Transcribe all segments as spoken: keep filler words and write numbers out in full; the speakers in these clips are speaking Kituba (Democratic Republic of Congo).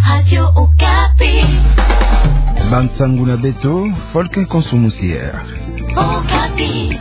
Radio Okapi. Bansangu na beto, Folke Konso Musier. Okapi.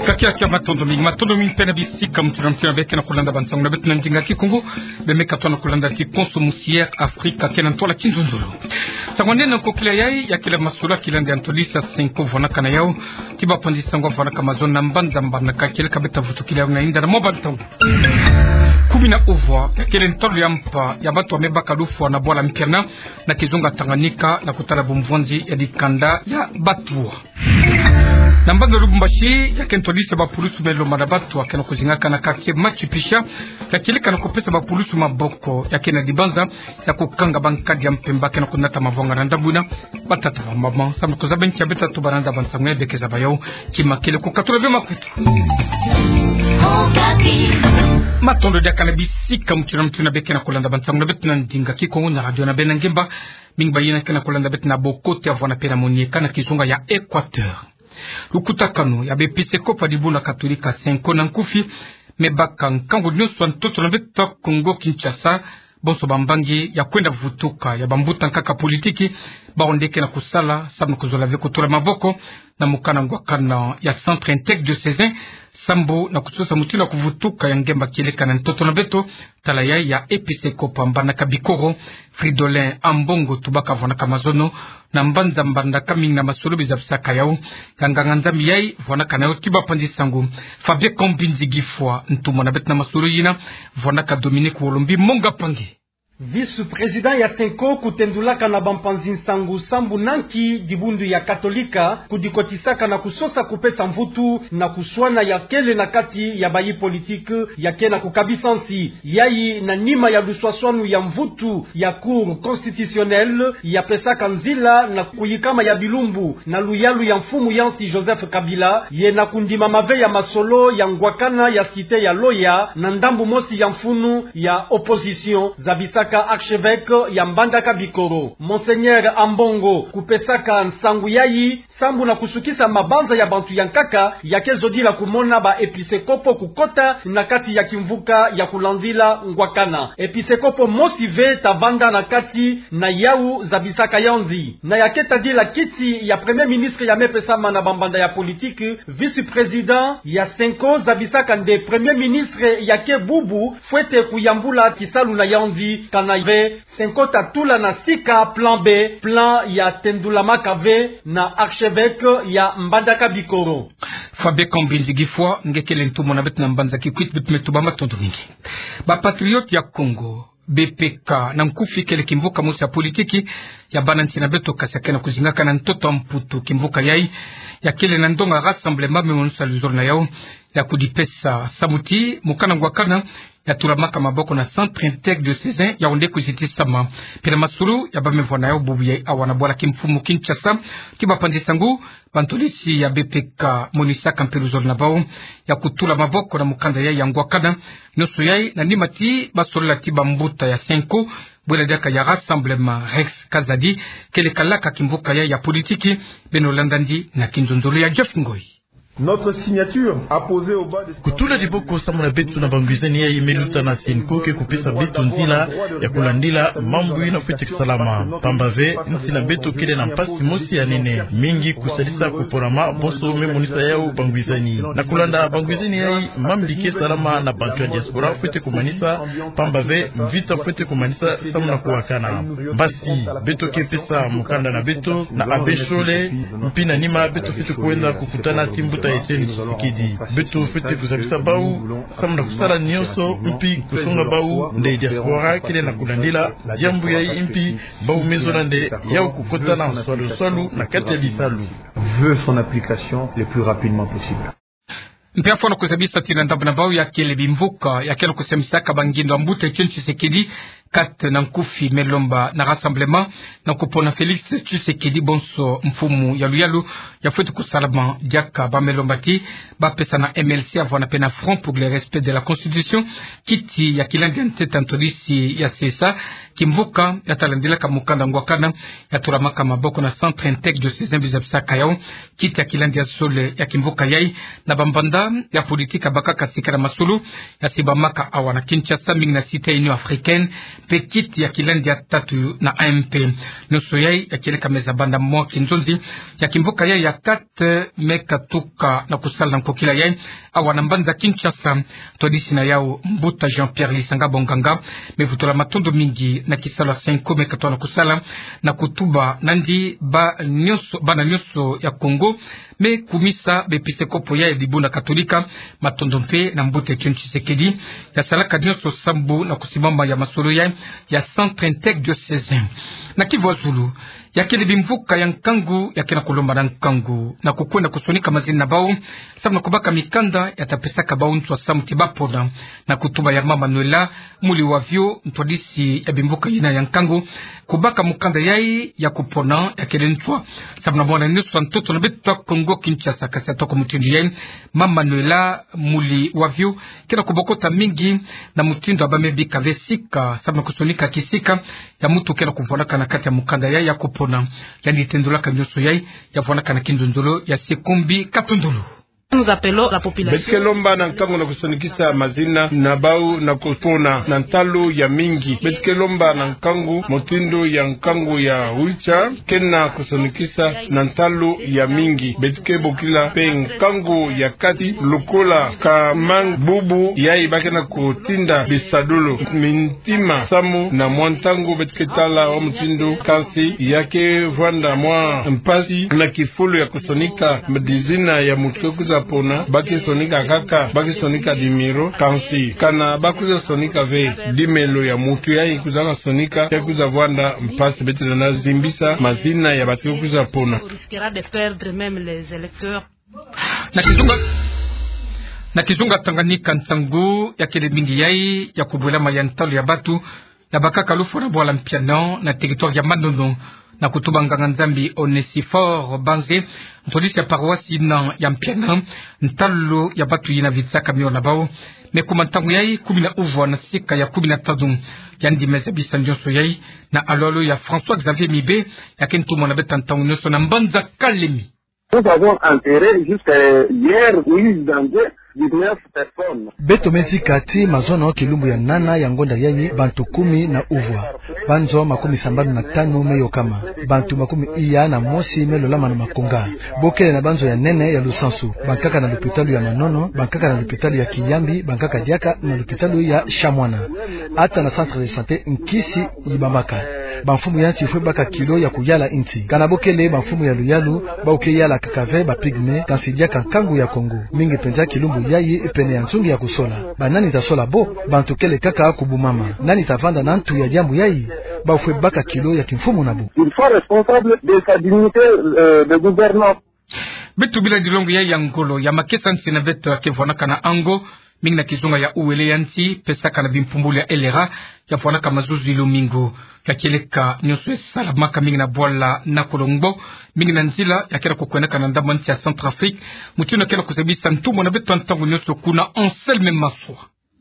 Kakia kia, matondo mingi, matondo mingi mpe na bisika mutindu na mutindu beke na kulanda bansangu na beto na ndinga Kikongo. Bemeka tona kulanda Kikonso Musier Afrika kena ntwala kinzonzolo. Nsangu nene na nkokila yayi, ya kele masolo ya kilandi ya ntodisi ya Cenco vwanaka na yau, ti bapanzi nsangu vwanaka mazono na mbanza mbanaka kieleka beta vutukila yau na inda na mwa bantangu. Kumi na uvwa, ya kele ntalu ya mpa ya batu wamebaka lufwa na bwala Mpiana, na kizunga Tanganyika, na kutala bumvwanzi ya dikanda ya batu. Na mbanza Lubumbashi, ya ke ntodisi ya bapulusu me lomana batu, ya kena kuzingaka na quartier Machu Picchu, ya kieleka na kupesa bapulusu maboko, ya kena dibanza ya kukanga bankadi ya mpemba, kena kunata mavwanga na ndambu ina. Batata, bamama, samu na kuzaba nki ya beta tuba na nda bansangu ya beke zaba yau, ki makele kukatula bima kutu. Matondo diaka na bisika mutindu na mutindu beke na kulanda bansangu na beto na ndinga Kikongo na radio na beno ngemba. Mingi bayina kena kulanda beto na bokote ya vwana pena monieka na kizunga ya Equateur. Lukutakanu ya bepisekopo ya dibundu ya Katolika Cenco na nkufi, mebaka nkangu nionso ya ntoto na beto Kongo Kinshasa, bonso bambangi ya kwenda vutuka ya bambuta nkaka politiki, bawu nde kena kusala, samu na kuzola ve kutula maboko na mukanda ngwakana ya Centre Intègre Diocésain, sambu na kusosa mutindu ya kuvutuka ya ngemba kieleka na ntoto na beto, tala yayi ya episekopo ya Mbandaka Bikoro, Fridolin Ambongo, tubaka vwanaka mazono na mbanza Mbandaka mingi na masolo bizabisaka yau, ya nganga-Nzambi yayi vwanaka na yau ti bapanzi nsangu. Fabien Kambinzi Gifwa, ntumwa na beto na masolo yina, vwanaka Dominique Wolombi Monga Pangi. Vice-président ya Cenco kutendulaka na bampanzi nsangu sambu na nki dibundu ya Katolika kudikotisaka na kusosa kupesa mvutu na kuswana ya kele na kati ya bayi politiki ya kena kukabisa nsi. Yayi na nima ya luswaswanu ya mvutu ya Cour constitutionnelle ya pesaka nzila na kuyikama ya bilumbu na luyalu ya mfumu ya nsi Joseph Kabila, ye na kundimama ve ya masolo ya ngwakana ya cité ya Loya na ndambu mosi ya mfunu ya opposition, zabisaka archevêque ya Mbandaka Bikoro. Monseigneur Ambongo kupesaka nsangu yayi sambu na kusukisa mabanza ya bantu ya nkaka ya ke zodila kumona ba episekopo kukota na kati ya kimvuka ya kulandila ngwakana. Episekopo mosi ve ta vanda na kati na yau, zabisaka yandi. Na ya ke tadila kiti ya Premier ministre ya mepesama na bambanda ya politiki, vice-président ya Cenco zabisaka nde Premier ministre ya ke bubu fwete kuyambula kisalu na yandi, kana ve Cenco ta tula na sika plan B, plan ya tendulamaka ve na archevêque ya Mbandaka Bikoro. Fabien Kambinzi Gifwa, nge kele ntumwa na beto na mbanza Kikwit, beto me tuba matondo mingi. Ba Patriotes ya Kongo, B P K, na nkufi kele kimvuka mosi ya politiki ya bana nsi na beto, kasi ya kena kuzingaka na ntoto ya Mputu. Kimvuka yayi ya kele na ndonga Rassemblement, me monisa luzolo na yau ya kudipesa samu ti mukanda ngwakana ya tulamaka maboko na Centre Intègre Diocésain, yawu nde kuzitisama. Pila masulu ya bamevwa na yau bubu yayi awa na bwala kimfumu Kinshasa ti bapanzi nsangu, bantodisi ya B P K monisaka mpe luzolo na bau ya kutula maboko na mukanda yayi ya ngwakana. Nionso yayi na nima ti basolola ti bambuta ya Cenco, bwela diaka ya Rassemblement, Rex Kazadi, kele kalaka kimvuka yayi ya politiki. Beno landa yandi na kinzonzolo ya Jeff Ngoi. Notre signature apposée au bas de Kutula diboko samu na beto na bangwizani yayi me luta na Cenco ke kupesa beto nzila ya kulandila mambu ina fwete kusalama. Pamba ve, nsi na beto kele na mpasi mosi ya nene mingi kusalisa kuporama, bonso me monisa yau bangwizani. Na kulanda bangwizani yayi, mambi ke salama na bantu ya diaspora fwete kumanisa, pamba ve mvita fwete kumanisa samu na kuwakana. Mbasi, beto ke pesa mukanda na beto na Abbé Shole, mpi na nima beto fwete kwenda kukutana ti mbuta Etienne Tshisekedi. Beto fwete kuzabisa bau samu na kusala nionso, mpi kusonga bau nde diaspora kele na kulandila diambu yayi, mpi bau me zola nde yau kukota na nswaluswalu na kati ya bisalu. Veut son application le plus rapidement possible. Mpe afwana kuzabisa ti na ndambu na bau ya kele bimvuka ya kele kusemisaka bangindo ya mbuta Etienne Tshisekedi Kate na nkufi me lomba na Rassemblement na kupona Félix Tshisekedi bonso mfumu ya luyalu ya fweti kusalama diaka. Ba me lomba ti ba pesa na M L C, avwanda pe na Front pour le respect de la Constitution, kiti ya kilandi ya ntete ntwadisi ya C S A, kimvuka ya talandilaka mukanda ngwakana ya tulamaka maboko na Centre Integre Diocésain Bishop Sakayo, kiti ya kilandi ya zole ya kimvuka yai, na bambanda ya politique ya bakaka sika na masolo ya sibamaka awa na Kinshasa, mingi na cité Union Africaine, mpe kiti ya kilandi ya tatu na A M P. Nionso yai ya kieleka meza banda mwa kinzonzi ya kimvuka yai ya kate me katuka na kusala na nkokila yai awa na mbanza Kinshasa. Ntwadisi na yau, mbuta Jean-Pierre Lisanga Bonganga, me vutula matondo mingi na kisalu ya Cenco me katoa na kusala na kutuba nandi ba nionso, bana nionso ya Congo, me kumisa bepisekopo ya dibundu katolika matondo mpe na mbuta Etienne Tshisekedi ya salaka nionso sambu na kusimama ya masolo ya, ya Centre Integre Diocésain. Na Kivu ya Zulu, ya kele bimvuka ya nkangu ya ke na kulomba na nkangu na kukwenda kusonika mazina na bau, sambu na kubaka mikanda ya ta pesaka bau nswa sambu ti ba pona. Na kutuba ya mama Noëlla Muliwavyo, ntwadisi ya bimvuka yina ya nkangu, kubaka mukanda yai ya kupona ya kele nswa sambu na mwana nionso ya ntoto na beto ya Kongo Kinshasa. Kasi atoko mutindu yai, mama Noëlla Muliwavyo ke na kubokota mingi na mutindu ya ba me bika ve sika sambu na kusonika kisika ya muntu ke na kuvwanaka na kati ya mukanda yai ya kupona. Yandi tendulaka nionso yai ya vwanaka na kinzonzolo ya Sekombi Katondolo. Nous appelons la population. Beto ke lomba na nkangu na kusonikisa mazina na bau na kupona na ntalu ya mingi. Beto ke lomba na nkangu, mutindu ya nkangu ya Wiltshire ke na kusonikisa na ntalu ya mingi. Beto ke bokila mpe nkangu ya kati, lokola ka mang bubu yai ba ke na kutinda bisadulu, mintima samu na mwa ntangu beto ke tala wa mutindu, kansi ya ke vwanda mwa mpasi na kifulu ya kusonika mazina ya muntu ke kwiza pona. Ba ke sonika kaka, ba ke sonika numéro, kansi kana ba kwiza sonika ve numéro ya muntu yai kwizaka sonika, ya kwiza vwanda mpasi. Beto lenda zimbisa mazina ya bato ke kwiza pona. On risquera de perdre même les électeurs. Na kizunga, na kizunga Tanganyika, nsangu ya kele mingi yai ya kubwelama ya ntalu ya bato ya bakaka lufwa na bwala Mpiana na territoire ya Manono. Na kutuba nganga-Nzambi Onesphore Banze, ntwadisi ya paroisse yina ya Mpiana, ntalu ya bato yina vitisaka mio na bau me kuma ntangu yai kumi na uvwa na sika ya kumi na tanu. Yandi me zabisa nionso yai na alu-alu ya François-Xavier Mibe, ya ke ntumwa na beto ya ntangu nionso na mbanza Kalemi. Nous avons enterré jusqu'à hier, Moïse Danze, dix-neuf personnes. Beto me zika tii mazono kilumbu ya nana ya ngonda yai bantu kumi na uvwa. Banzo makumi sambanu na tanu me yokama. Bantu makumi iya na mosi me lolama na makonga. Bokele na banzo ya nene ya lusansu. Bankaka na lupitalu ya Manono, bankaka na lupitalu ya Kiyambi, bankaka diaka na lupitalu ya Shamwana. Ata na centre de santé nkisi yibamaka. Bamfumu ya nsi fwe baka kilo ya kuyala nsi. Kana bokele bamfumu ya luyalu, bau ke yala kaka ve ba pygmées, kansi diaka nkangu ya Kongo. Mingi mpenza kilumbu yai pene ya nzungu ya kusola. Ba nani ta sola bo? Bantu kele kaka kubumama. Nani ta vanda na ntu ya diambu yai? Bau fwe baka kilo ya kimfumu na bo. Ils sont responsables de sa dignité, euh, de gouvernance. Beto bila dilongo yai ya ngolo ya makesa nsi na beto ya ke vwanaka na Ango, mingi na kizunga ya Uele ya nsi, pesaka na bimpumbulu ya L R A, ya vwanaka mazuzu ya lumingu. Ya kieleka nionso ya salamaka mingi na bwala Nakolombo, mingi na nzila ya ke na kukwendaka na ndambu ya nsi ya Centrafrique. Mutindu ya ke na kuzabisa ntumwa na beto ya ntangu nionso kuna, Anselme Maswa.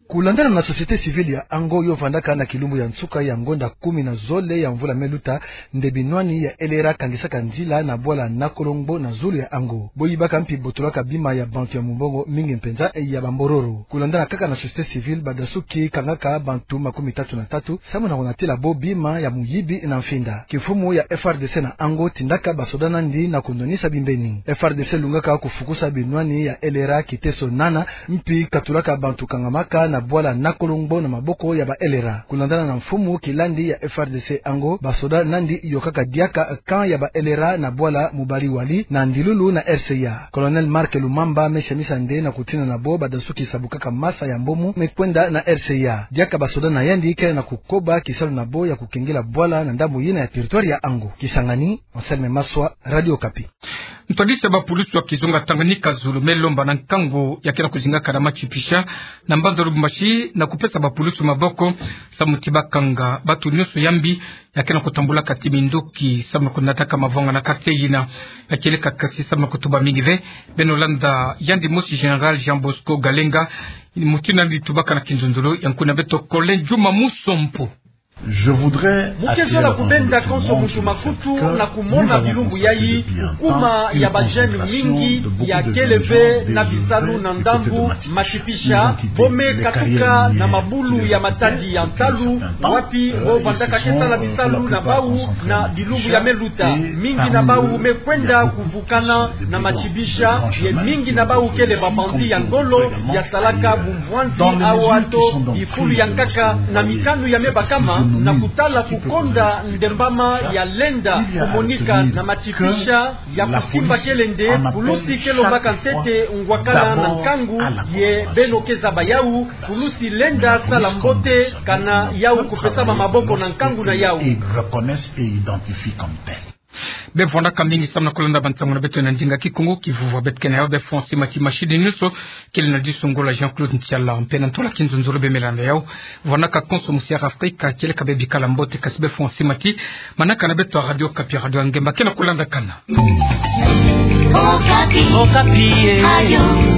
Kulandana na société civile ya Ango yo vandaka na kilumbu ya nsuka ya ngonda kumi na zole ya mvula me luta, nde binwani ya L R A kangisaka nzila na bwala Nakolombo na zulu ya Ango. Bo yibaka mpi botolaka bima ya bantu ya mumbongo mingi mpenza ya bambororo. Kulandana kaka na société civile, badasuki kangaka bantu makumi tatu na tatu, samu na kunatila bo bima ya muyibi na mfinda. Kimfumu ya F R D C na Ango tindaka basoda nandi na kunwanisa bimbeni. F R D C lungaka kufukusa binwani ya L R A kiteso nana, mpi katulaka bantu kangamaka na bwala Nakolombo na maboko ya ba L R A. Kulandana na mfumu kilandi ya F R D C Ango, basoda nandi yokaka diaka camp ya ba L R A na bwala Mubari-Wali na ndilulu na R C A. Colonel Marc Lumamba me samisa nde na kutina na bo badasuki sabukaka masa ya mbomu me kwenda na R C A. Diaka basoda na yandi kele na kukoba kisalu na bo ya kukengela bwala na ndambu yina ya territoire ya Ango. Kisangani, Anselme Maswa, Radio Okapi. Ntwadisi ya bapulusu ya kizunga Tanganyika zulu me lomba na nkangu ya ke na kuzingaka na Matshipisha na mbanza Lubumbashi na kupesa bapulusu maboko samu ti bakanga bato nyonso ya mbi ya ke na kutambulaka ti minduki samu na kunataka mavanga na quartier yina. Ya kieleka kasi samu na kutuba mingi ve, beno landa yandi mosi Général Jean Bosco Galenga, mutindu yandi tubaka na kinzonzolo ya nkuna beto Colin Juma Musompo. Mu ke zola kubenda konso muntu makutu na kumona bilumbu yayi, kukuma ya ba jeunes mingi ya kele ve na bisalu na ndambu Matshipisha, bo me katuka na mabulu ya matadi ya ntalu, wapi bo vandaka ke sala bisalu na bau na bilumbu ya me luta. Mingi na bau me kwenda kuvukana na Matshipisha, ye mingi na bau kele ba bandits ya ngolo ya salaka bumbwanzi awa to bifulu ya nkaka na mikanu ya me bakama, na kutala kukonda ndembama ya lenda kumonika na Matshipisha, ya kusimba kele nde pulusi ke lombaka ntete ngwakala na nkangu, ye beno ke zaba yau, pulusi lenda sala mbote kana yau kupesama maboko na nkangu na yau. Be vwandaka mingi samu na kulanda bantangu na beto na ndinga Kikongo. Ki vova beto ke na yau be François Mati, machine nyonso kele na diso ngolo Jean-Claude Ntiala, mpe na ntola kinzonzolo be me landa yau. Vwandaka konso mu Sierra Africa, kieleka be bikala mbote, kasi be François Mati, manaka na beto ya Radio Okapi, Radio ya Ngemba ke na kulandakana. Okapi. Okapi, eh. Radio.